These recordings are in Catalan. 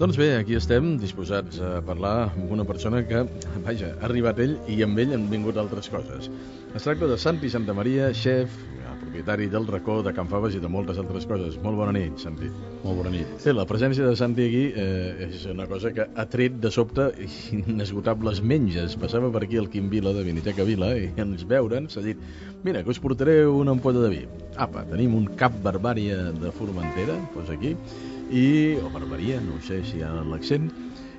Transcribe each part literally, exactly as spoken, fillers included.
Doncs bé, aquí estem disposats a parlar amb una persona que, vaja, ha arribat ell i amb ell han vingut altres coses. Es tracta de Santi Santamaria, xef, propietari del Racó, de Can Faves i de moltes altres coses. Molt bona nit, Santi. Molt bona nit. Bé, la presència de Santi aquí eh, és una cosa que ha tret de sobte inesgotables menges. Passava per aquí el Quim Vila de Viniteca Vila i ens veure'n s'ha dit: mira, que us portaré una ampolla de vi. Apa, tenim un cap Barbària de Formentera, doncs aquí, i, o Barbaria, no sé si hi ha l'accent,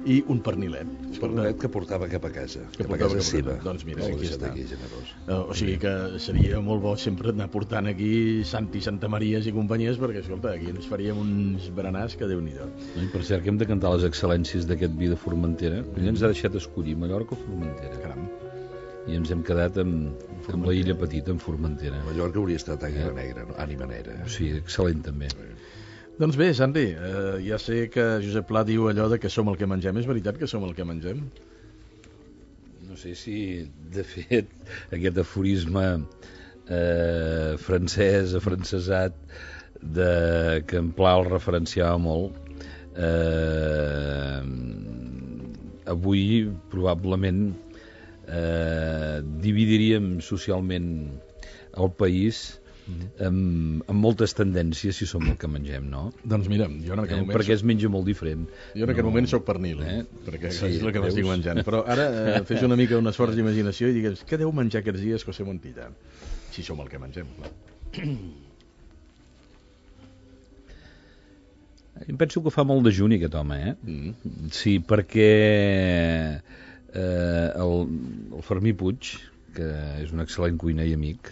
i un pernilet. Un pernilet que portava cap a casa, que cap a casa seva. Doncs mira, aquí està. Aquí, generós. Uh, o sigui que seria molt bo sempre anar portant aquí Santi Santamaries i companyies, perquè, escolta, aquí ens faríem uns berenars que Déu-n'hi-do. No, I per cert, que hem de cantar les excel·lències d'aquest vi de Formentera. Mm. Ell ens ha deixat escollir Mallorca o Formentera. Caram. I ens hem quedat amb, amb la illa petita, en Formentera. Mallorca hauria estat ànima negra, no? Ànima negra. Sí, excel·lent també. Doncs bé, Santi, eh, ja sé que Josep Pla diu allò de que som el que mengem. És veritat que som el que mengem? No sé si, de fet, aquest aforisme eh, francès, afrancesat, de, que en Pla el referenciava molt, eh, avui probablement eh, dividiríem socialment el país amb, amb moltes tendències si som el que mengem, no? Doncs mira, jo en aquest eh, moment... Perquè es menja molt diferent. Jo en aquest no... moment soc pernil, eh? Perquè sí, és el que m'estic menjant. Però ara eh, fes una mica un esforç d'imaginació i digues, què deu menjar aquests dies José Montilla? Si som el que mengem, clar. Em penso que fa molt de juni aquest home, eh? Mm. Sí, perquè eh, el, el Fermí Puig, que és un excel·lent cuiner i amic,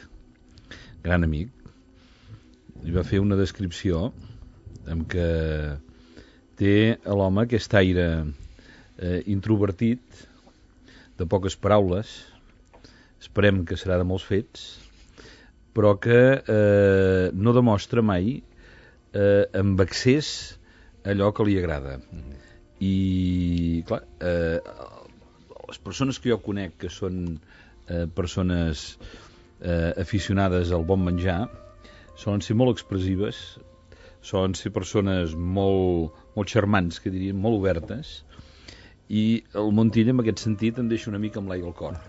gran amic, li va fer una descripció en què té a l'home aquest aire eh, introvertit, de poques paraules, esperem que serà de molts fets, però que eh, no demostra mai eh, amb accés allò que li agrada. Mm-hmm. I, clar, eh, les persones que jo conec que són eh, persones eh, aficionades al bon menjar solen ser molt expressives, solen ser persones molt, molt xarmants, que dirien, molt obertes, i el Montilla en aquest sentit em deixa una mica amb l'aigua al cor.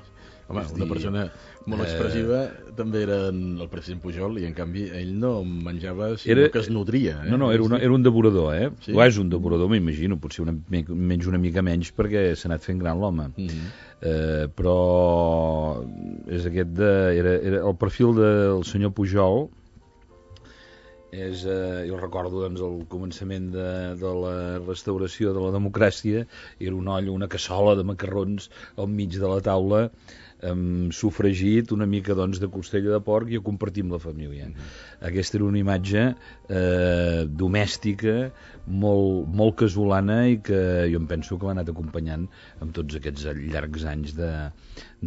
Home, una persona molt expressiva eh... també era el president Pujol, i en canvi ell no menjava, sinó era... que es nodria. Eh? No, no, era, una, era un devorador, eh? Sí? O és un devorador, m'imagino, potser una, menys una mica menys perquè s'ha anat fent gran l'home. Mm-hmm. eh, però és aquest de, era, era el perfil del senyor Pujol. És, eh, jo recordo doncs, el començament de, de la restauració de la democràcia, era un olla, una cassola de macarrons al mig de la taula, amb sofregit, una mica doncs, de costella de porc, i a compartir amb la família. Mm-hmm. Aquesta era una imatge eh, domèstica, molt, molt casolana, i que jo em penso que l'ha anat acompanyant amb tots aquests llargs anys de,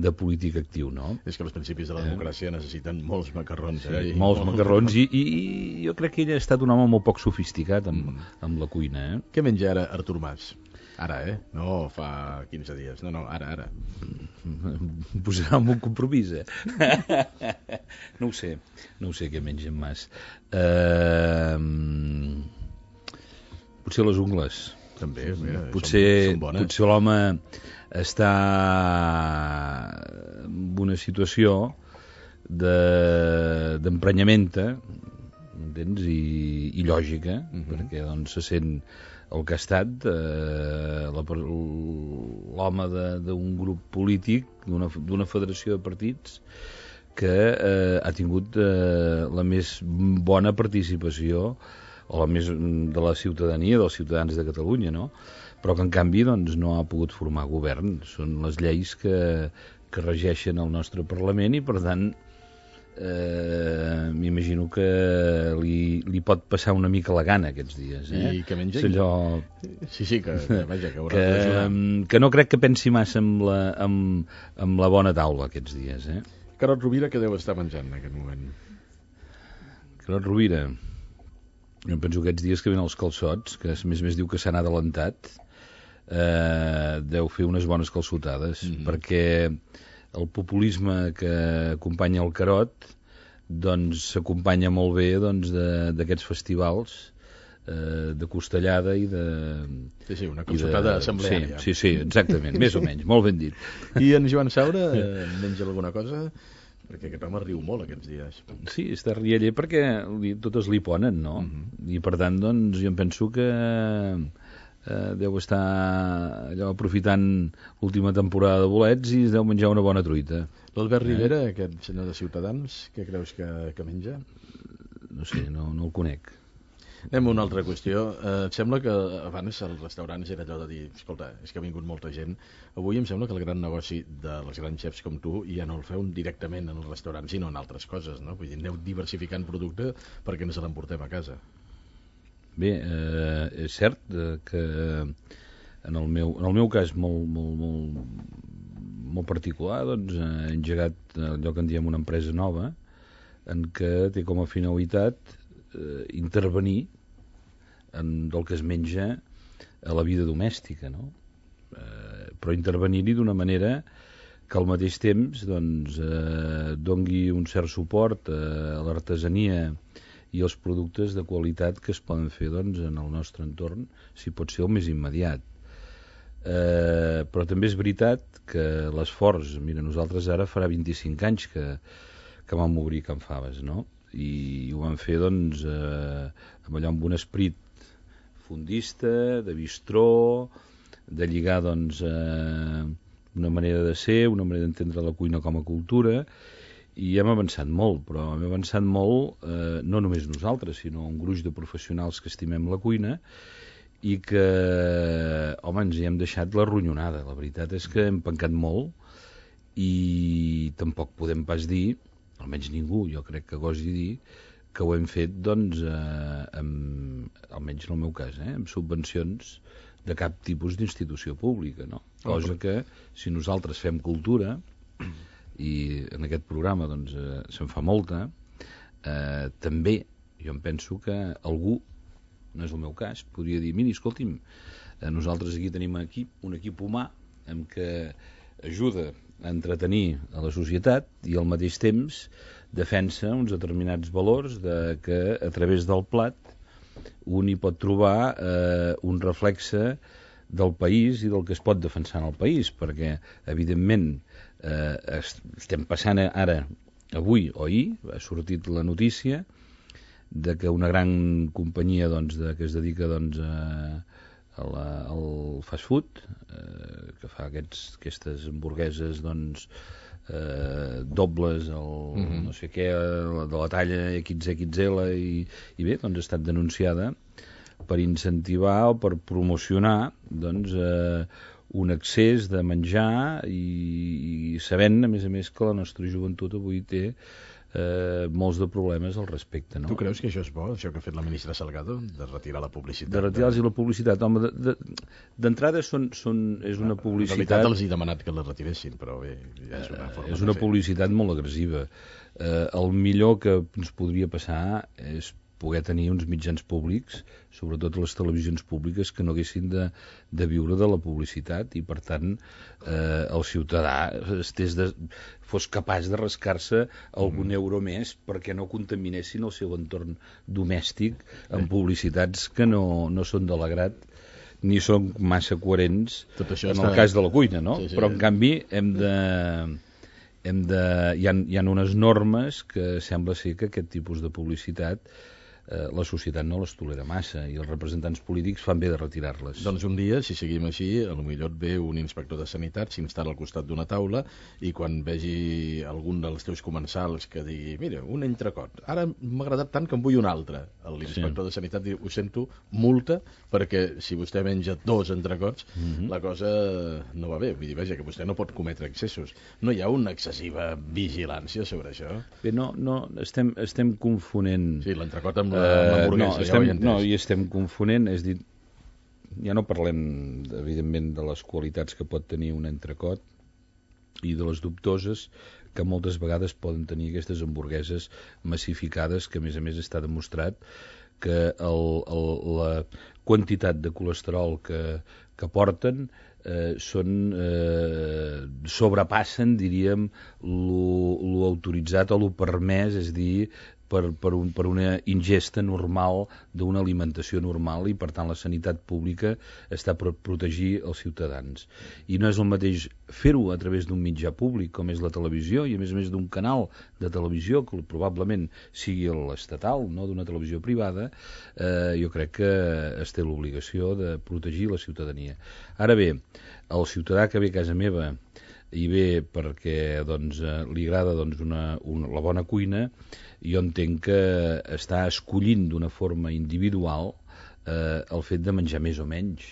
de polític actiu, no? És que els principis de la democràcia eh? necessiten molts macarrons. Sí, eh? I molts macarrons, i, i, i jo crec que ell ha estat un home molt poc sofisticat amb, mm. amb la cuina. Eh? Què menja ara Artur Mas? Ara, eh? No fa quinze dies. No, no, ara, ara. Em posarà en un compromís, eh? No ho sé. No ho sé què menja en Mas. Uh, potser les ungles. També, mira, potser, són, són bones. Potser l'home està en una situació de, d'emprenyamenta, entens? I, i lògica, mm-hmm. perquè doncs se sent el que ha estat eh, la, l'home d'un grup polític, d'una, d'una federació de partits que eh, ha tingut eh, la més bona participació, o la més de la ciutadania, dels ciutadans de Catalunya, no? Però que en canvi doncs, no ha pogut formar govern. Són les lleis que, que regeixen el nostre Parlament, i per tant Eh, m'imagino que li, li pot passar una mica la gana aquests dies, eh? I que menja? Allò... Sí, sí, que, vaja, que haurà que, de que no crec que pensi massa amb la, amb, amb la bona taula aquests dies, eh? Carod Rovira, què deu estar menjant en aquest moment? Carod Rovira, jo penso que aquests dies que venen els calçots, que a més més diu que s'han adelantat, eh, deu fer unes bones calçotades, mm-hmm. perquè el populisme que acompanya el Carod doncs s'acompanya molt bé doncs, d'aquests festivals eh, de costellada i de... Sí, sí, una consultada assembleària. Sí, sí, sí, exactament, més o menys, molt ben dit. I en Joan Saura eh, menja alguna cosa? Perquè aquest home riu molt aquests dies. Sí, està rieller perquè li, totes li ponen, no? Uh-huh. I per tant, doncs, jo em penso que eh, deu estar allò aprofitant l'última temporada de bolets i es deu menjar una bona truita. L'Albert eh? Rivera, aquest senyor de Ciutadans, què creus que, que menja? No sé, no, no el conec. Anem a una altra qüestió. Eh, em sembla que abans als restaurants era allò de dir, escolta, és que ha vingut molta gent. Avui em sembla que el gran negoci dels grans xefs com tu ja no el feu directament en el restaurant, sinó en altres coses, no? Vull dir, aneu diversificant producte perquè ens l'emportem a casa. Bé, eh, és cert eh, que en el meu, en el meu cas molt, molt, molt, molt particular, doncs, he engegat allò que en diem una empresa nova, en què té com a finalitat eh, intervenir en el que es menja a la vida domèstica, no? Eh, però intervenir-hi d'una manera que al mateix temps doncs, eh, dongui un cert suport eh, a l'artesania i als productes de qualitat que es poden fer doncs, en el nostre entorn, si pot ser el més immediat. Eh, però també és veritat que l'esforç, mira, nosaltres ara farà vint-i-cinc anys que, que vam obrir Can Faves, no? I ho vam fer doncs, eh, amb allò amb un esperit fondista, de bistró, de lligar doncs, eh, una manera de ser, una manera d'entendre la cuina com a cultura, i hem avançat molt, però hem avançat molt eh, no només nosaltres, sinó un gruix de professionals que estimem la cuina i que, home, ens hi hem deixat la ronyonada. La veritat és que hem pencat molt i tampoc podem pas dir, almenys ningú, jo crec que gosi dir, que ho hem fet, doncs, eh, amb, almenys en el meu cas, eh, amb subvencions de cap tipus d'institució pública, no? Cosa que, si nosaltres fem cultura, i en aquest programa doncs, eh, se'n fa molta, eh, també jo em penso que algú, no és el meu cas, podria dir, miri, escolti'm, eh, nosaltres aquí tenim un equip, un equip humà amb què ajuda a entretenir a la societat i al mateix temps defensa uns determinats valors de que a través del plat un hi pot trobar eh, un reflexe del país i del que es pot defensar en el país, perquè evidentment eh, estem passant ara, avui o ahir, ha sortit la notícia de que una gran companyia doncs, de, que es dedica doncs, a, a la, al fast food, eh, que fa aquests, aquestes hamburgueses doncs, eh, dobles, el, mm-hmm. no sé què, de la talla equis equis ele, i, i bé, doncs ha estat denunciada per incentivar o per promocionar doncs, eh, un excés de menjar i, i sabent, a més a més, que la nostra joventut avui té eh, molts de problemes al respecte. No? Tu creus que això és bo, això que ha fet la ministra Salgado, de retirar la publicitat? De retirar-los de... la publicitat. Home, d'entrada són, són, és una publicitat... En realitat els he demanat que la retiressin, però bé, ja és una forma eh, és una publicitat molt agressiva. Eh, el millor que ens podria passar és poder tenir uns mitjans públics, sobretot les televisions públiques, que no haguessin de, de viure de la publicitat i, per tant, eh, el ciutadà estés de, fos capaç de rascar-se algun mm. euro més perquè no contaminessin el seu entorn domèstic amb publicitats que no, no són de l'agrat ni són massa coherents en està... el cas de la cuina, no? Sí, sí. Però, en canvi, hem de... Hem de... Hi ha, hi ha unes normes que sembla ser que aquest tipus de publicitat eh, la societat no les tolera massa i els representants polítics fan bé de retirar-les. Doncs un dia, si seguim així, potser et ve un inspector de sanitat, s'instal·la al costat d'una taula i quan vegi algun dels teus comensals que digui, mira, un entrecot, ara m'ha agradat tant que en vull un altre. L'inspector sí. de sanitat diu, ho sento, multa, perquè si vostè menja dos entrecots, mm-hmm. la cosa no va bé. Vull dir, vaja, que vostè no pot cometre excessos. No hi ha una excessiva vigilància sobre això? Bé, no, no, estem, estem confonent... Sí, l'entrecot amb Uh, no, estem, ja no, i estem confonent, és dir, ja no parlem evidentment de les qualitats que pot tenir un entrecot i de les dubtoses que moltes vegades poden tenir aquestes hamburgueses massificades, que a més a més està demostrat que el, el, la quantitat de colesterol que, que porten eh, són eh, sobrepassen, diríem, lo, lo autoritzat o lo permès, és dir, per, per, un, per una ingesta normal d'una alimentació normal, i per tant la sanitat pública està per protegir els ciutadans. I no és el mateix fer-ho a través d'un mitjà públic com és la televisió, i a més a més d'un canal de televisió que probablement sigui l'estatal, no d'una televisió privada. eh, jo crec que es té l'obligació de protegir la ciutadania. Ara bé, el ciutadà que ve a casa meva i ve perquè doncs, li agrada doncs, una, una, la bona cuina, jo entenc que està escollint d'una forma individual eh, el fet de menjar més o menys.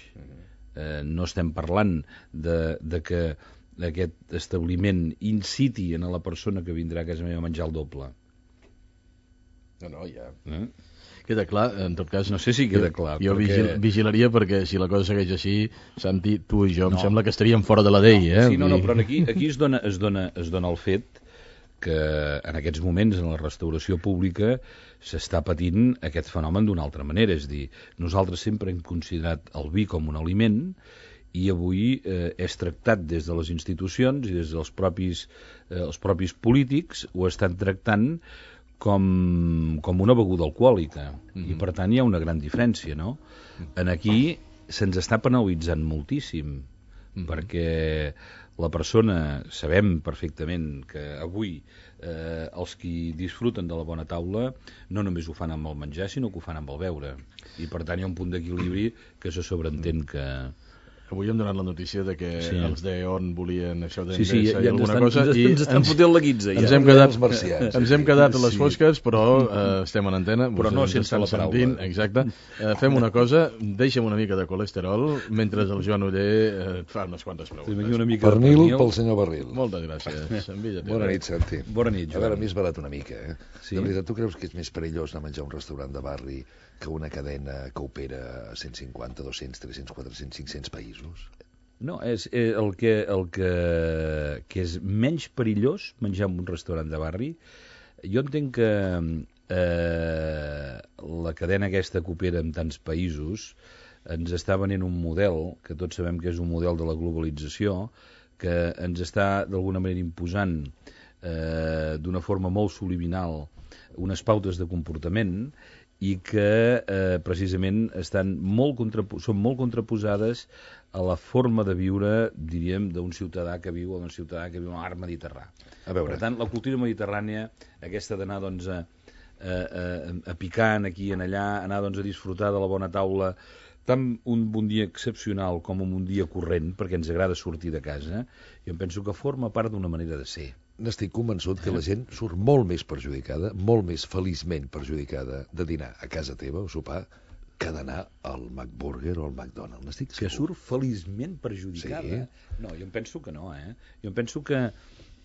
Eh, no estem parlant de, de que aquest establiment inciti a la persona que vindrà a casa meva a menjar el doble. No, no, ja... Eh? Queda clar, en tot cas... No sé si queda clar. Jo perquè... vigil, vigilaria perquè si la cosa segueix així, Santi, tu i jo, No. em sembla que estaríem fora de la llei, eh? Sí, no, no, però aquí, aquí es, dona, es, dona, es dona el fet que en aquests moments en la restauració pública s'està patint aquest fenomen d'una altra manera. És dir, nosaltres sempre hem considerat el vi com un aliment, i avui eh, és tractat des de les institucions i des dels propis, eh, els propis polítics, ho estan tractant com, com una beguda alcohòlica. Mm-hmm. I per tant hi ha una gran diferència, no? En aquí se'ns està penalitzant moltíssim, mm-hmm. perquè la persona, sabem perfectament que avui eh, els qui disfruten de la bona taula no només ho fan amb el menjar, sinó que ho fan amb el beure. I per tant hi ha un punt d'equilibri que se sobreentén que... Avui hem donat la notícia de que Sí. els d'E.ON volien això Sí, sí, d'Endesa ja i ens alguna estan, cosa, ens, i ens estan fotent la guitza. ens Ja. hem quedat, Els marcians, ens sí, hem quedat a les sí. fosques, però eh, estem en antena. Però vostès no ens sense estan la paraula. sentint, exacte. Eh, fem una cosa, deixa'm una mica de colesterol, mentre el Joan Oller eh, et fa unes quantes Fem preguntes. aquí una mica de Pernil pernil. pel senyor Barril. Moltes gràcies. Envia-te. Bona nit, Santi. Bona nit, A veure, Joan. a mi és barat una mica, eh? Sí? De veritat, tu creus que és més perillós anar a menjar a un restaurant de barri que una cadena que opera a cent cinquanta, dos-cents, tres-cents, quatre-cents, cinc-cents països? No, és eh, el, que, el que, que és menys perillós menjar en un restaurant de barri. Jo entenc que eh, la cadena aquesta que opera en tants països ens està venent un model, que tots sabem que és un model de la globalització, que ens està d'alguna manera imposant eh, d'una forma molt subliminal unes pautes de comportament, i que eh, precisament estan molt contrapo- són molt contraposades a la forma de viure, diríem, d'un ciutadà que viu o d'un ciutadà que viu a l'art mediterrani. A veure. Per tant, la cultura mediterrània, aquesta d'anar doncs, a, a, a, a picar aquí i en allà, anar doncs, a disfrutar de la bona taula, tant un bon dia excepcional com un dia corrent, perquè ens agrada sortir de casa, jo em penso que forma part d'una manera de ser. N'estic convençut que la gent surt molt més perjudicada, molt més feliçment perjudicada de dinar a casa teva o sopar que d'anar al McBurger o al McDonald's. N'estic Que segur. surt feliçment perjudicada. Sí. No, jo em penso que no, eh? Jo em penso que,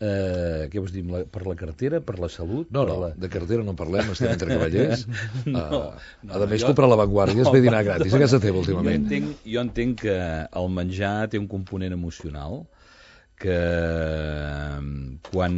eh, què vols dir, la, per la cartera, per la salut... No, per no, la... de cartera no en parlem, estem entre cavallers. No, uh, no, a més, jo- comprar la Vanguardia es ve dinar gratis a casa teva Jo últimament. entenc, jo entenc que el menjar té un component emocional, que quan...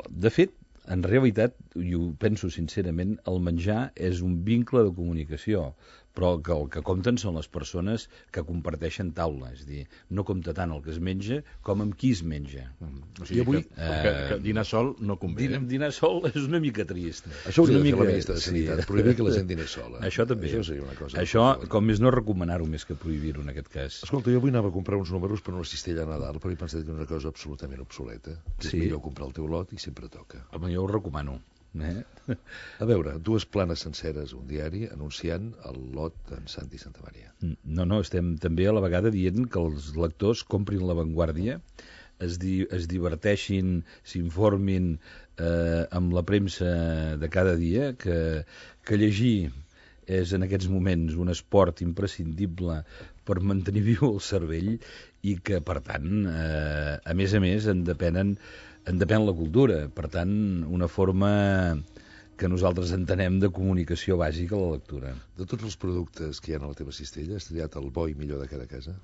De fet, en realitat, i ho penso sincerament, el menjar és un vincle de comunicació, però que el que compten són les persones que comparteixen taula, és a dir, no compta tant el que es menja com amb qui es menja. O sigui, I avui- que, que, que dinar sol no convé. Dinar, dinar sol és una mica trist. Això hauria És una de fer la mica- ministra de sí. Sanitat, prohibir que la gent diner sola. Això també. Això seria una cosa. Això, com més no recomanar-ho més que prohibir-ho en aquest cas. Escolta, jo avui anava a comprar uns números per una cistella a Nadal, però he pensat que és una cosa absolutament obsoleta. És Sí. millor comprar el teu lot i sempre toca. Home, jo ho recomano. Eh? A veure, dues planes senceres, un diari, anunciant el lot d'en Santi Santamaria. No, no, estem també a la vegada dient que els lectors comprin La Vanguardia, es, di es diverteixin, s'informin eh, amb la premsa de cada dia, que, que llegir és en aquests moments un esport imprescindible per mantenir viu el cervell i que, per tant, eh, a més a més, en depenen en depèn la cultura, per tant, una forma que nosaltres entenem de comunicació bàsica a la lectura. De tots els productes que hi ha a la teva cistella, has triat el bo i millor de cada casa?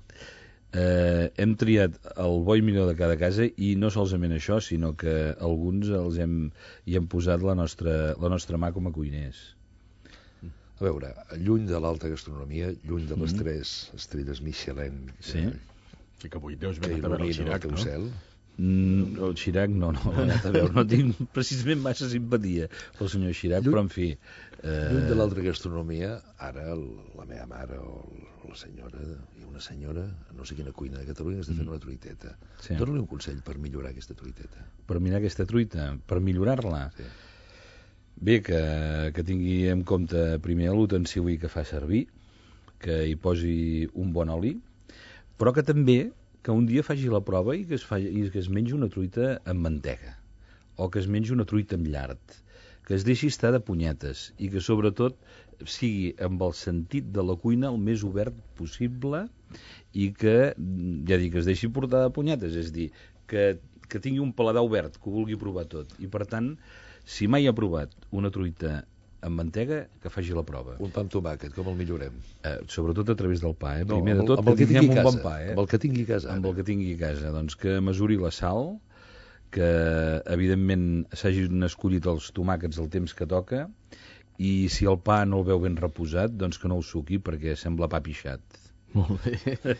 Eh, hem triat el bo i millor de cada casa i no solament això, sinó que alguns els hem, hi hem posat la nostra, la nostra mà com a cuiners. A veure, lluny de l'alta gastronomia, lluny de les mm. tres estrelles Michelin Sí. que, Sí que avui deus que venir a veure el il·luminen el Xirac, teu no? cel, Mm, el Chirac, no, no, a veure, no tinc precisament massa simpatia pel senyor Chirac, Lluny, però en fi... Eh... Lluny de l'altra gastronomia, ara el, la meva mare o el, la senyora, i una senyora, no sé quina cuina de Catalunya, està fent una truiteta. Sí. Dóna-li un consell per millorar aquesta truiteta. Per millorar aquesta truita, per millorar-la? Sí. Bé, que, que tingui en compte primer l'utensili que fa servir, que hi posi un bon oli, però que també que un dia faci la prova i que es, faci, i que es mengi una truita amb mantega, o que es mengi una truita amb llard, que es deixi estar de punyetes i que sobretot sigui amb el sentit de la cuina el més obert possible i que, ja dic, es deixi portar de punyetes, és dir, que, que tingui un paladar obert, que ho vulgui provar tot. I per tant, si mai ha provat una truita amb mantega, que faci la prova. Un pa amb tomàquet, com el millorem? Eh, sobretot a través del pa, eh? No, Primer amb, de tot, amb el que tingui a casa, un bon pa, eh? Amb el que tingui a casa. Amb el que tingui a casa. Doncs que mesuri la sal, que evidentment s'hagin escollit els tomàquets al temps que toca, i si el pa no el veu ben reposat, doncs que no el suqui perquè sembla pa pixat. Molt bé.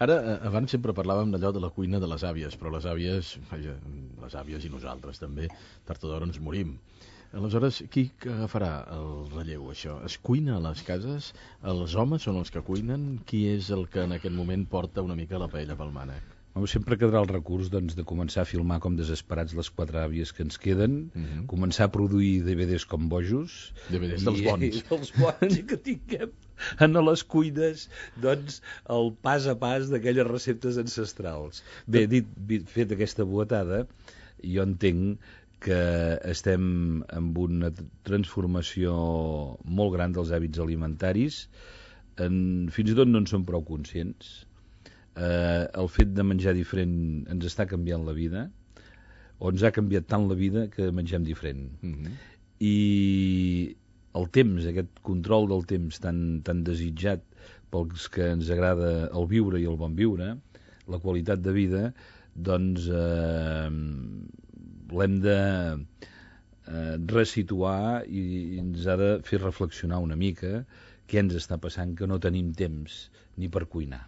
Ara, abans sempre parlàvem d'allò de la cuina de les àvies, però les àvies, vaja, les àvies i nosaltres també, tard o d'hora ens morim. Aleshores, qui agafarà el relleu, això? Es cuina a les cases? Els homes són els que cuinen? Qui és el que en aquest moment porta una mica la paella pel mànec? Sempre quedarà el recurs doncs, de començar a filmar com desesperats les quatre àvies que ens queden, uh -huh. començar a produir D V Ds com bojos, D V Ds dels bons, i, dels bons i que tinguem en les cuines doncs, el pas a pas d'aquelles receptes ancestrals. Bé, dit, fet aquesta boatada, jo entenc que estem amb una transformació molt gran dels hàbits alimentaris, en, fins i tot no en som prou conscients. Eh, el fet de menjar diferent ens està canviant la vida, o ens ha canviat tant la vida que mengem diferent. Mm-hmm. I el temps, aquest control del temps tan, tan desitjat pels que ens agrada el viure i el bon viure, la qualitat de vida, doncs eh, l'hem de eh, resituar i, i ens ha de fer reflexionar una mica què ens està passant, que no tenim temps ni per cuinar.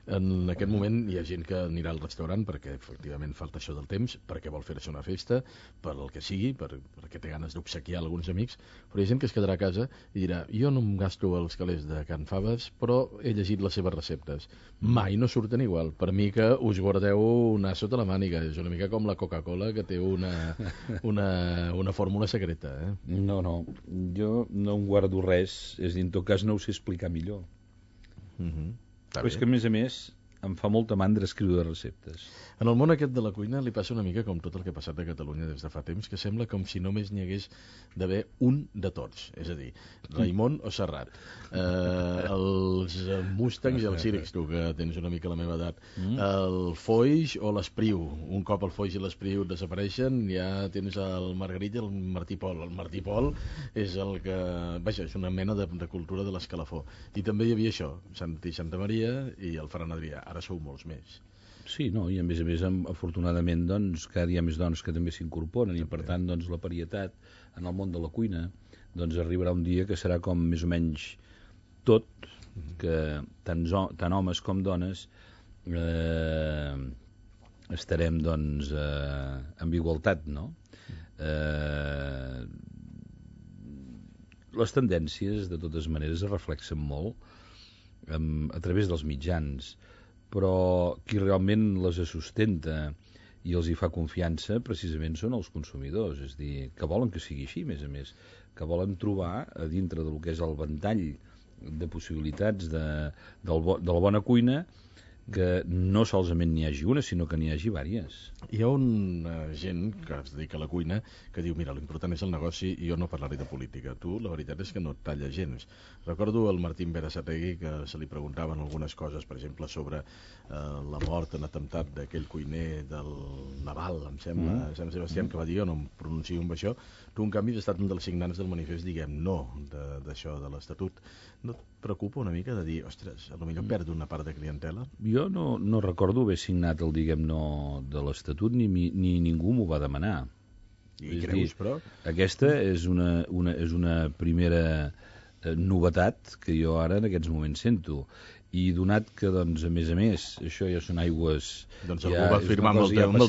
En aquest moment hi ha gent que anirà al restaurant perquè efectivament falta això del temps, perquè vol fer-se una festa, per el que sigui, per, perquè té ganes d'obsequiar alguns amics, però hi ha gent que es quedarà a casa i dirà, jo no em gasto els calés de Can Faves, però he llegit les seves receptes. Mai no surten igual. Per mi que us guardeu una sota la màniga, és una mica com la Coca-Cola que té una, una, una fórmula secreta. Eh? No, no, jo no em guardo res, és dir, en tot cas no ho sé explicar millor. Mhm. Però és que, a més a més, em fa molta mandra escriure receptes. En el món aquest de la cuina li passa una mica com tot el que ha passat a Catalunya des de fa temps, que sembla com si només n'hi hagués d'haver un de tots, és a dir, Raimon o Serrat. Eh, els Mustangs i els Círics, tu que tens una mica la meva edat, mm. el Foix o l'Espriu. Un cop el Foix i l'Espriu desapareixen, ja tens el Margarit i el Martí Pol. El Martí Pol és el que... Vaja, és una mena de, de cultura de l'escalafó. I també hi havia això, Sant i Santa Maria i el Ferran Adrià. Ara sou molts més. Sí, no, i a més a més, afortunadament, doncs, cada dia hi ha més dones que també s'incorporen i, per tant, doncs, la varietat en el món de la cuina doncs, arribarà un dia que serà com més o menys tot, que tant, tant homes com dones eh, estarem doncs, eh, amb igualtat, no? Eh, les tendències, de totes maneres, es reflexen molt eh, a través dels mitjans, però qui realment les sustenta i els hi fa confiança precisament són els consumidors, és dir, que volen que sigui així, a més a més, que volen trobar a dintre del que és el ventall de possibilitats de, del bo, de la bona cuina que no solament n'hi hagi una, sinó que n'hi hagi vàries. Hi ha una gent que es dedica a la cuina que diu, mira, l'important és el negoci i jo no parlaré de política. Tu, la veritat és que no et talla gens. Recordo el Martín Berasategui que se li preguntaven algunes coses, per exemple, sobre eh, la mort en atemptat d'aquell cuiner del Naval, em sembla, mm. Sant Sebastià, que va dir, jo no em pronuncio amb això. Tu, en canvi, has estat un dels signants del manifest, diguem, no, d'això, de, de l'Estatut. No et preocupa una mica de dir, ostres, potser perdo una part de clientela? Jo no, no recordo haver signat el diguem no de l'Estatut, ni, ni ningú m'ho va demanar. I és creus, dir, però? Aquesta és una, una, és una primera eh, novetat que jo ara en aquests moments sento. I donat que, doncs, a més a més, això ja són aigües... Doncs algú ja va firmar amb el teu nom.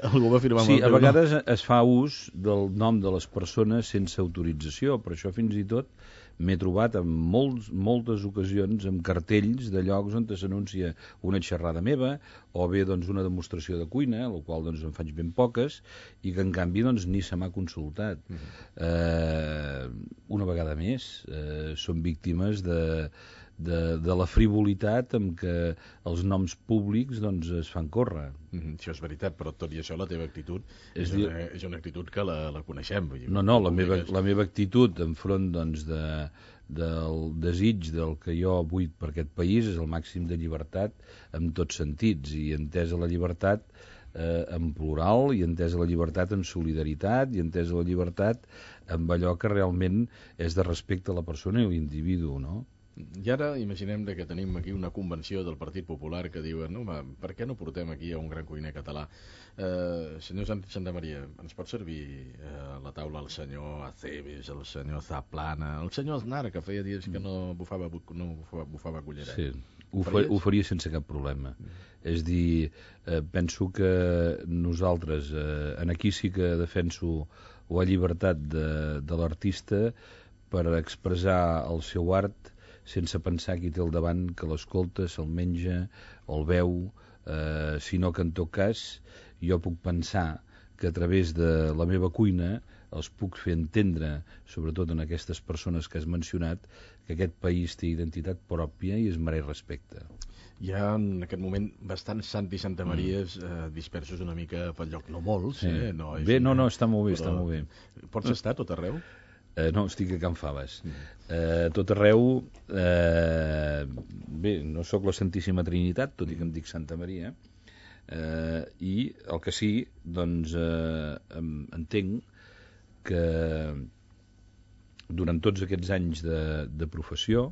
Algú va firmar amb sí, el teu a vegades nom. Es fa ús del nom de les persones sense autorització, però això fins i tot m'he trobat en molts, moltes ocasions amb cartells de llocs on s'anuncia una xerrada meva o bé doncs, una demostració de cuina, la qual doncs, en faig ben poques, i que en canvi doncs, ni se m'ha consultat. Mm-hmm. eh, una vegada més, eh, són víctimes de... De, de la frivolitat amb què els noms públics doncs, es fan córrer. Mm-hmm, això és veritat, però tot i això la teva actitud és, és, una, és una actitud que la, la coneixem. Vull dir, no, no, la meva, la meva actitud enfront doncs, de, del desig del que jo vull per aquest país és el màxim de llibertat en tots sentits, i entesa la llibertat eh, en plural, i entesa la llibertat en solidaritat, i entesa la llibertat amb allò que realment és de respecte a la persona i a l'individu, no? I ara imaginem que tenim aquí una convenció del Partit Popular que diuen, no, home, per què no portem aquí a un gran cuiner català? Eh, senyor Sant Santamaria, ens pot servir eh, a la taula el senyor Aceves, el senyor Zaplana, el senyor Aznar, que feia dies que no bufava, no bufava, bufava cullera? Sí, ho, fa, ho faria sense cap problema. Mm. És dir, eh, penso que nosaltres, eh, en aquí sí que defenso la llibertat de, de l'artista per expressar el seu art sense pensar qui té al davant, que l'escolta, se'l menja, el veu, eh, sinó que en tot cas jo puc pensar que a través de la meva cuina els puc fer entendre, sobretot en aquestes persones que has mencionat, que aquest país té identitat pròpia i es mereix respecte. Hi ha en aquest moment bastants Santi Santamaries eh, dispersos una mica pel lloc, no molts, sí. eh? No, és bé, una... no, no, està molt bé, però... està molt bé. Pots estar tot arreu? Eh, no, estic a Can Faves. Eh, tot arreu, eh, bé, no sóc la Santíssima Trinitat, tot i que em dic Santa Maria, eh, i el que sí, doncs, eh, entenc que durant tots aquests anys de, de professió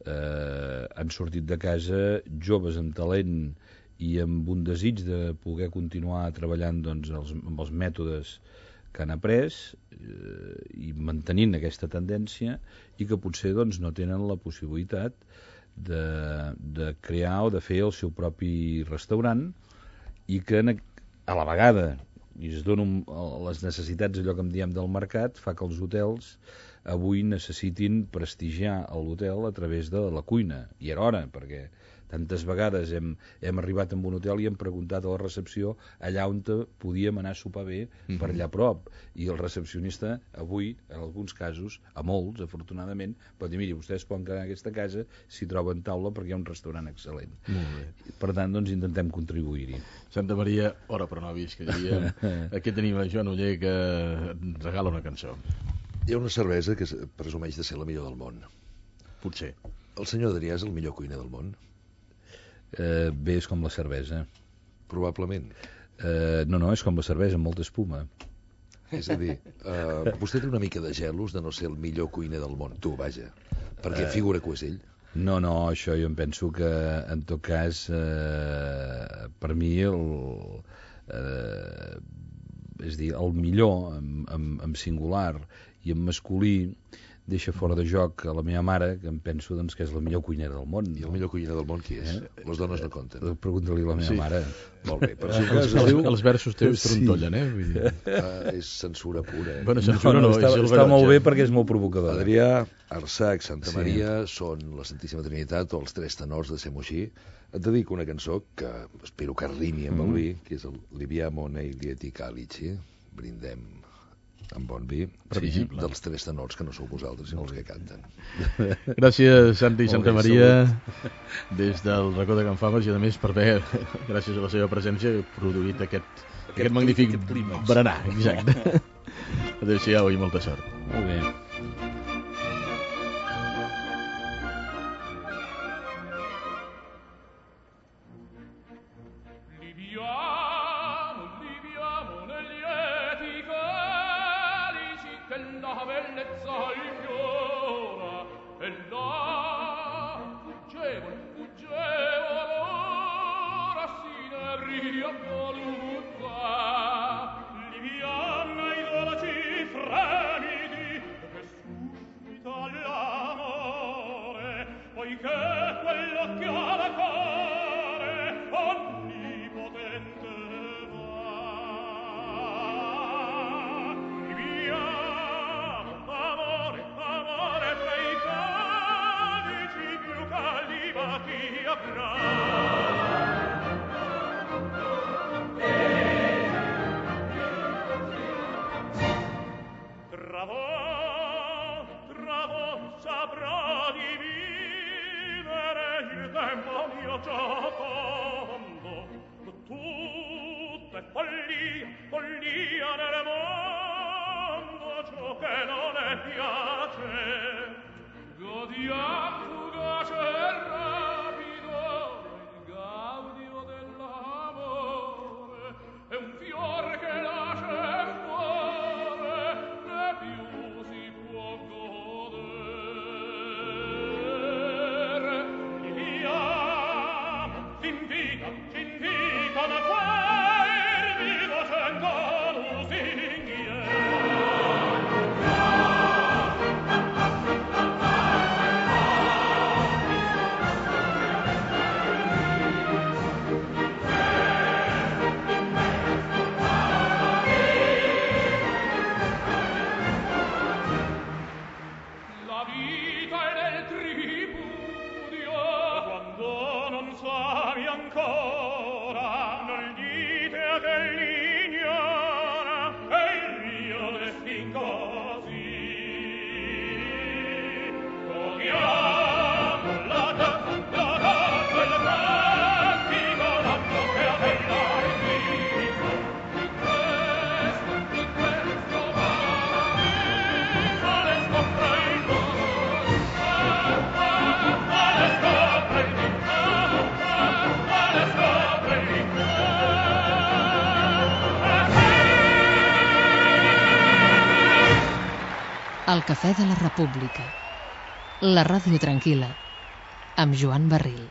eh, han sortit de casa joves amb talent i amb un desig de poder continuar treballant doncs, els, amb els mètodes que han après eh, i mantenint aquesta tendència, i que potser doncs, no tenen la possibilitat de, de crear o de fer el seu propi restaurant, i que a la vegada i es donen les necessitats, allò que en diem del mercat, fa que els hotels avui necessitin prestigiar l'hotel a través de la cuina, i era hora, perquè tantes vegades hem, hem arribat a un hotel i hem preguntat a la recepció allà on podíem anar a sopar bé, mm-hmm. per allà a prop, i el recepcionista avui, en alguns casos, a molts, afortunadament, pot dir, miri, vostès poden quedar en aquesta casa si troben taula perquè hi ha un restaurant excel·lent. Molt bé. Per tant, doncs, intentem contribuir-hi. Santa Maria, ora però no vist, que diríem. Aquí tenim a Joan Oller, que ens regala una cançó. Hi ha una cervesa que presumeix de ser la millor del món. Potser. El senyor Adrià és el millor cuiner del món? Eh, bé, és com la cervesa. Probablement. Eh, no, no, és com la cervesa, amb molta espuma. És a dir, eh, vostè té una mica de gelos de no ser el millor cuiner del món. Tu, vaja, perquè eh, figura que ho és ell. No, no, això jo em penso que, en tot cas, eh, per mi, el, eh, és dir, el millor, en, en, en singular i en masculí, deixa fora de joc a la meva mare, que em penso doncs, que és la millor cuinera del món. I el millor cuiner del món qui és? Eh? Les dones no compten. Eh, Pregunta-li a la meva sí. mare. Molt bé. Però si els, els, els versos teus sí. trontollen, eh? Vull dir. Uh, és censura pura. Eh? Bueno, censura no, no, no està, és està molt bé perquè és molt provocador. Adrià, Arsac, Santa Sí. Maria són la Santíssima Trinitat o els tres tenors de Semoixí. Et dedico una cançó que espero que rimi amb el vi, que és el Libiamo nei lieti calici. Brindem amb bon vi, sí, dels tres tenors que no sou vosaltres, sinó els que canten. Gràcies, Santi i Santa Maria, des del racó de Can Faves, i a més per haver, gràcies a la seva presència, produït aquest, aquest, aquest magnífic aquest berenar. Exacte. Adéu-siau i molta sort. Molt bé. Liviana i dolci fremiti che suscita la ti avrà. Tra voi, tra voi saprà dividere il tempo mio giocondo. Tutto è follia, follia nel mondo, ciò che non è piace. Godiam fugace e rapido il gaudio dell'amore, è un fiore che nasce e muore, né più si può godere. Viviamo, s'invita, s'invita da fermi docendo lusinghiere. La vita è nel tripudio, quando non savi ancora, non dite a che l'ignora, è il mio destin così. Godiamo la danza, la danza, il cantico, l'atto che a te dà il diritto. Di questo, di questo paradiso le scopre il mondo, le scopre il mondo, le scopre il mondo. El Cafè de la República, la ràdio tranquil·la, amb Joan Barril.